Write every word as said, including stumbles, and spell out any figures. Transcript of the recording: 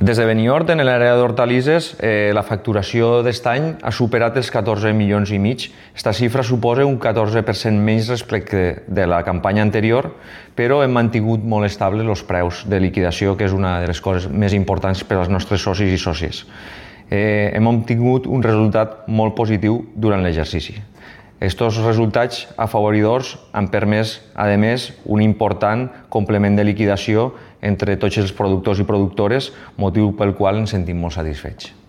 Des de Benidorm, en l'àrea d'hortalisses, eh, la facturació d'aquest any ha superat els catorze milions i mig. Aquesta xifra suposa un catorze per cent menys respecte de la campanya anterior, però hem mantingut molt estables els preus de liquidació, que és una de les coses més importants per als nostres socis i sòcies. Eh, hem obtingut un resultat molt positiu durant l'exercici. Aquests resultats afavoridors han permès, a més, un important complement de liquidació entre tots els productors i productores, motiu pel qual ens sentim molt satisfets.